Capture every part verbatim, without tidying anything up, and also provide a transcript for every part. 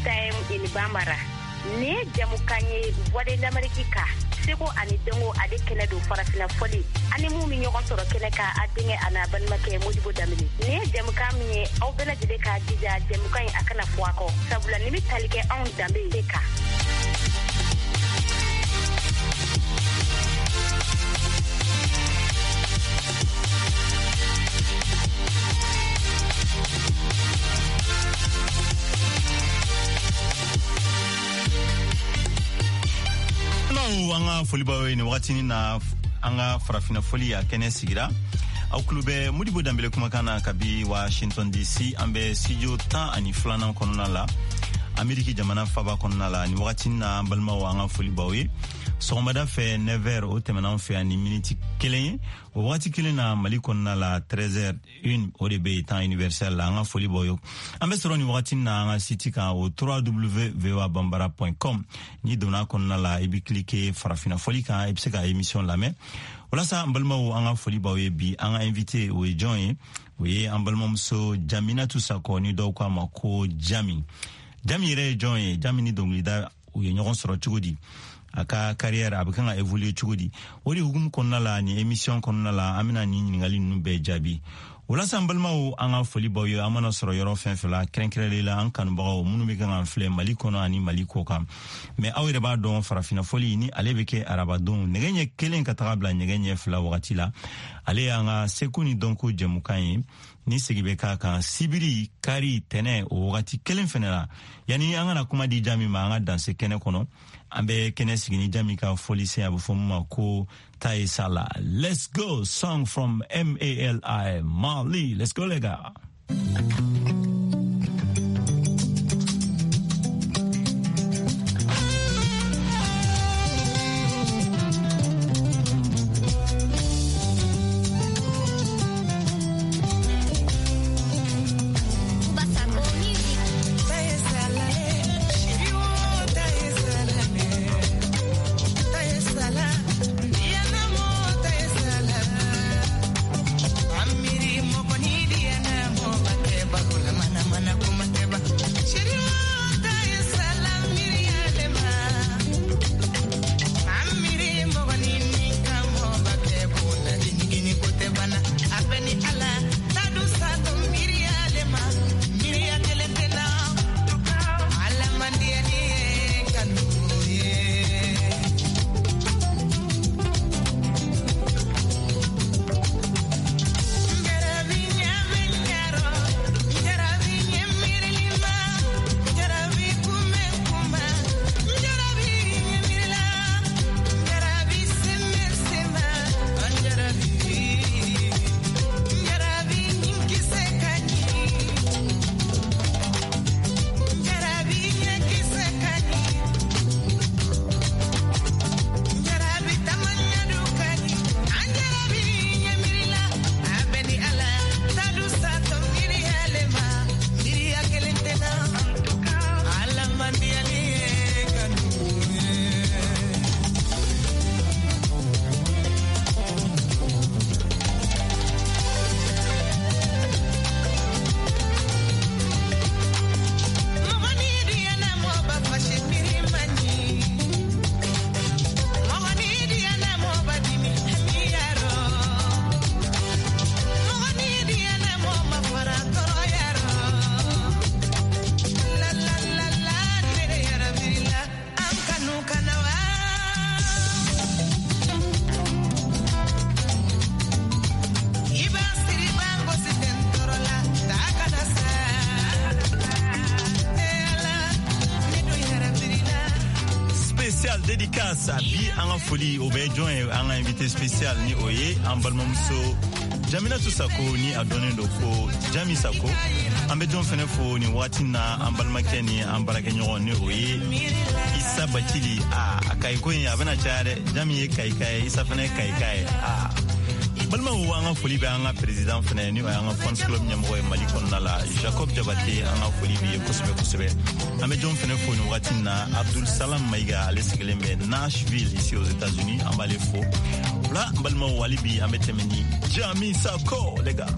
Time in Bambara. Nin ye jamukan ye Voix de l'Amérique kan, seko ani dɔnko ale kɛnɛ don farafina fɔli ani mun bɛ ɲɔgɔn sɔrɔ kɛnɛ kan, a denkɛ a n'a balimakɛ Modibo Danbele. Nin ye jamukan min ye, aw bɛɛ lajɛlen k'a jija jamukan in a kana fɔ a kɔ, sabula nin bɛ tali kɛ anw danbe de kan. An ka folibaw ye nin wagatinin na, an ka farafina foli a kɛnɛ sigira. Aw tulo bɛ Modibo Danbele kumakan na kabi Washington D C. An bɛ studio tan ani filanan kɔnɔna la, Ameriki jamana faba kɔnɔna la nin wagatinin na. An balimaw, an ka folibaw ye. Sɔgɔmada fɛ neuf heures o tɛmɛna an fɛ yan ni miniti kelen ye. O wagati kelen na, Mali kɔnɔna la, treize heures une o de bɛ yen temps universel la. An ka foli b'aw ye. An bɛ sɔrɔ nin wagati na an ka site kan, o w w w voa bambara point com. N'i donna kɔnɔna la, i bɛ cliquer farafina fɔli kan, i bɛ se ka émission lamɛn. Walasa an balimaw, an ka foli b'aw ye. Bi an ka invité, o ye jɔn ye? O ye an balimamuso Jaminatu Sakɔ, ni dɔw k'a ma ko Jami. Jami yɛrɛ ye jɔn ye? Jami ni dɔnkilida u ye ɲɔgɔn sɔrɔ cogo di? A ka carrière a bɛ kan ka évoluer cogo di? O de hukumu kɔnɔna la, nin émission kɔnɔna la, an bɛna nin ɲininkali ninnu bɛɛ jaabi. Walasa an balimaw, an ka foli b'aw ye. An mana sɔrɔ yɔrɔ fɛn fɛn la, kɛrɛnkɛrɛnlen la an kanubagaw minnu bɛ kan k'an filɛ Mali kɔnɔ ani Mali kɔ kan. Mɛ aw yɛrɛ b'a dɔn, farafina fɔli ni ale bɛ kɛ arabadon nɛgɛ ɲɛ kelen ka taga bila nɛgɛ ɲɛ fila wagati la. Ale y'an ka seko ni dɔnko jɛmukan ye ni segi bɛ k'a kan sibiri, kari, tɛnɛ, o wagati kelen fɛnɛ la. Yanni an kana kuma di Jami ma, an ka danse kɛnɛ kɔnɔ, an bɛ kɛnɛ sigi ni Jami ka fɔlisen, a bɛ fɔ min ma ko Taye Sala. Let's go, song from M A L I, Mali. Let's go les gars. Dédicace bi, an ka foli o bɛ jɔn ye? An ka invité spécial ni o ye an balimamuso Jaminatu Sako, ni a dɔnnen don ko Jami Sako. An bɛ jɔn fɛnɛ fo nin waati na? An balimakɛ ni an baarakɛɲɔgɔn ni o ye Isa Bacili. A a kayiko in a bɛna caya dɛ. Jami ye kayika ye, Isa fɛnɛ ye kayika ye. A balimaw, an ka foli bɛ an ka président fɛnɛ, ni o y'an ka fans club ɲɛmɔgɔ ye Mali kɔnɔna la, Jacob Jabate. An ka foli b'i ye kosɛbɛ kosɛbɛ. An bɛ jɔn fɛnɛ fo nin wagati na? Abdul Salam Mayiga, ale sigilen bɛ Nashville ici aux États-Unis, an b'ale fo. O la, n balimaw, hali bi an bɛ tɛmɛ ni Jami Sako, les gars.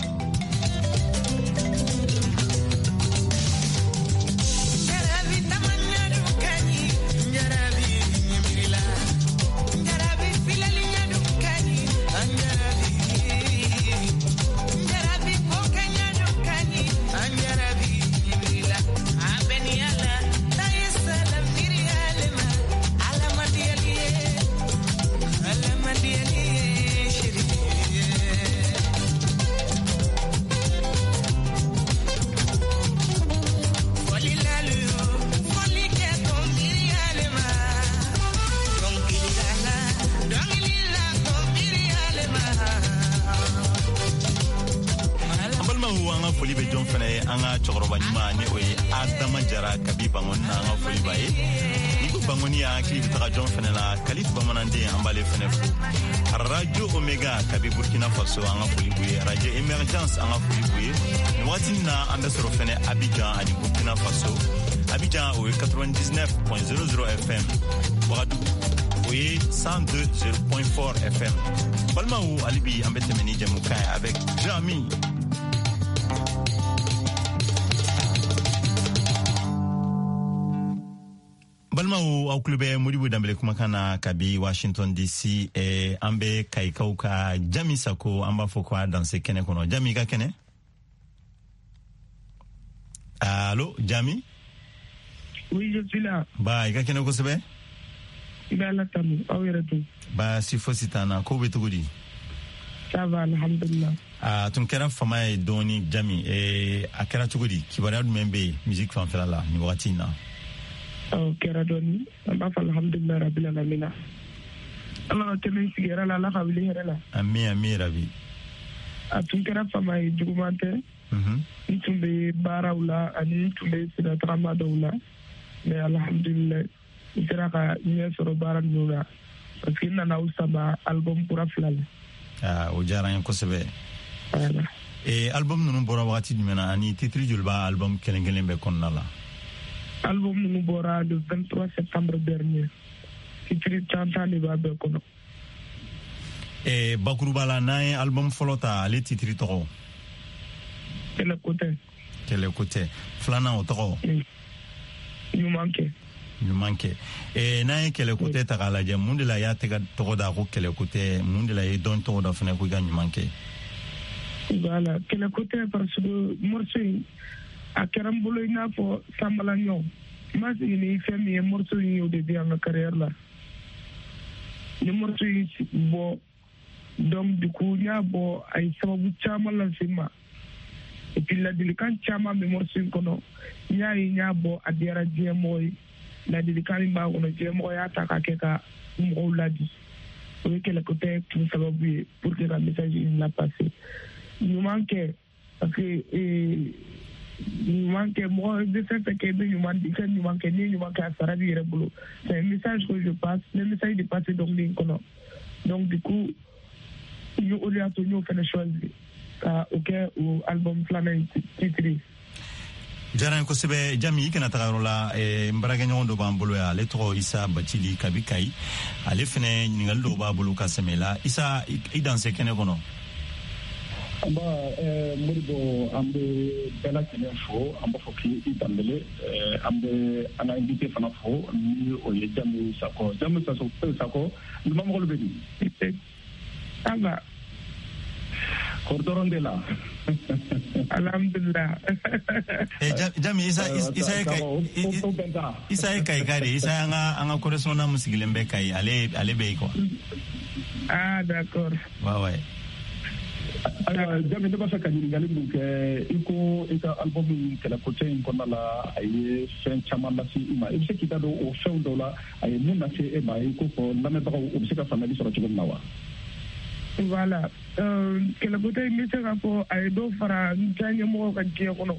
Balimaw, an ka foli bɛ jɔn fɛnɛ ye? An ka cɛkɔrɔba ɲuman, ni o ye Adama Jara kabi Bangoni na, an ka foli b'a ye. Ni ko Bangoni, an hakili bɛ taga jɔn fɛnɛ la? Kalif Bamananden, an b'ale fɛnɛ fo. Radio Omega kabi Burkina Faso, an ka foli b'u ye. Radio Emergence, an ka foli b'u ye. Nin wagati na, an bɛ sɔrɔ fɛnɛ Abidjan ani Burkina Faso. Abidjan, o ye quatre-vingt-dix-neuf point zéro zéro F M, Ouagadougou, o ye cent deux point quatre F M. Balimaw, hali bi an bɛ tɛmɛ ni jɛmukan ye avec Jami. Balimaw, aw tulo bɛ Modibo Danbele kumakan na kabi Washington D C. eh, an bɛ Kayikaw ka Jami Sako, an b'a fɔ ko a danse kɛnɛ kɔnɔ. Jami, i ka kɛnɛ? Allo, Jami? Oui, je suis là. Ba, i ka kɛnɛ kosɛbɛ. I bɛ Ala tanu, aw yɛrɛ dun? Baasi fosi t'an na. Ko bɛ cogo di? Ça va, alhamdulillah. A tun kɛra fama ye dɔɔni, Jami. eh, a kɛra cogo di? Kibaruya jumɛn bɛ yen musique fanfɛla la nin wagati in na? Ɔ kɛra dɔɔni, an b'a fɔ alhamdulillah rabbil alamina. Ala ka tɛmɛ sigi hɛrɛ la, Ala ka wuli hɛrɛ la. Ami, ami rabi. A tun kɛra fama ye, juguman tɛ. Mhm. N tun bɛ baaraw la ani n tun bɛ sira tagama dɔw la. Mais alhamdulillah, n sera ka ɲɛ sɔrɔ baara ninnu na parce que n nana aw sama album kura fila la. Ah, o diyara n ye kosɛbɛ. Voilà. Eh, album ninnu bɔra wagati jumɛn na, ani titre joli b'a album kelen kelen bɛɛ kɔnɔna la? Album ninnu bɔra le vingt-trois septembre dernier. Titre tan tan de b'a bɛɛ kɔnɔ. Eh, bakuruba la, n'an ye album fɔlɔ ta, ale titre tɔgɔ? Kɛlɛ ko tɛ. Kɛlɛ ko tɛ. Filanan, o tɔgɔ? Ɲuman kɛ. Ɲuman kɛ. eh, n'an ye Kɛlɛ ko tɛ ta k'a lajɛ, mun de la i y'a tɛgɛ tɔgɔ da ko Kɛlɛ ko tɛ? Mun de la i ye dɔn tɔgɔ da fɛnɛ ko i ka ɲuman kɛ? Voilà, kɛlɛ ko tɛ parce que morceau in a kɛra n bolo i n'a fɔ sanbala ɲɔ. N ma sigi ni fɛn min ye, morceau in y'o de di an ka carrière la. Ni morceau in bɔ, donc du coup n y'a bɔ, a ye sababu caman lase n ma et puis ladilikan caman bɛ morceau in kɔnɔ. N y'a ye, n y'a bɔ, a diyara diɲɛ mɔgɔ ye. Ladilikan min b'a kɔnɔ, diɲɛ mɔgɔ y'a ta k'a kɛ ka mɔgɔw ladi. O ye kɛlɛ ko tɛ kun sababu ye pour que ka message in la passer. Ɲuman kɛ parce que ɲuman kɛ, mɔgɔ bɛ fɛn fɛn kɛ, i bɛ ɲuman, i ka ɲuman kɛ. N'i ye ɲuman kɛ, a sara b'i yɛrɛ bolo. C'est un message que je passe, ne message de passer dɔnkili in kɔnɔ. Donc du coup n y'o, o de y'a to n y'o fɛnɛ choisi ka o kɛ o album filanan in titre ye. Diyara n ye kosɛbɛ, Jami. I kana taga yɔrɔ la. eh, n baarakɛɲɔgɔn dɔ b'an bolo yan, ale tɔgɔ Isa Bacili kabi Kayi. Ale fɛnɛ ɲininkali dɔw b'a bolo ka sɛmɛ la. Isa, i danse kɛnɛ kɔnɔ. Nba eh, Modibo, an bɛ bɛɛ lajɛlen fo, an b'a fɔ k'i Danbele. An bɛ an ka invité fana fo, ni o ye Jami Sakɔ. Jami Sakɔ, lumamɔgɔlu bɛ di? Ça va. Kɔri dɔrɔn de la? Alhamdulillah. Eh, Jami, Isa, Isa ye Kayi, Isa ye Kayika de. Isa an ka an ka correspondant mun sigilen bɛ Kayi, ale ale bɛ yen quoi. Ah, d'accord. Ouais ouais. Ayiwa Jami, ne b'a fɛ ka ɲininkali mun kɛ, i ko i ka album Kɛlɛkotɛ in kɔnɔna la, a ye fɛn caman lase i ma. I bɛ se k'i da don o fɛnw dɔw la, a ye mun lase e ma, i ko fɔ lamɛnbagaw u bɛ se ka faamuyali sɔrɔ cogo min na wa? Voilà, Kɛlɛkotɛ in, n bɛ se k'a fɔ a ye dɔ fara n diyaɲɛmɔgɔw ka diɲɛ kɔnɔ.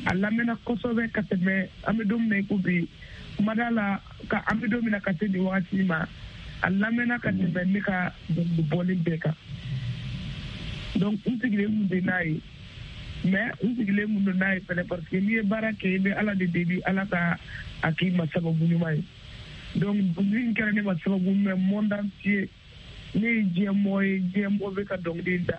A lamɛnna kosɛbɛ ka tɛmɛ an bɛ don min na i ko bi mada la, ka an bɛ don min na ka se nin wagati ma, a lamɛnna ka tɛmɛ ne ka dɔnkili bɔlen bɛɛ kan. Donc n sigilen kun tɛ n'a ye, mais n sigilen kun don n'a ye fɛnɛ parce que n'i ye baara kɛ, i bɛ Ala de deli, Ala ka a k'i ma sababu ɲuman ye. Donc dɔnkili in kɛra ne ma sababu ɲuman ye monde entier. Ne ye diɲɛ mɔgɔ ye, diɲɛ mɔgɔ bɛ ka dɔnkili da.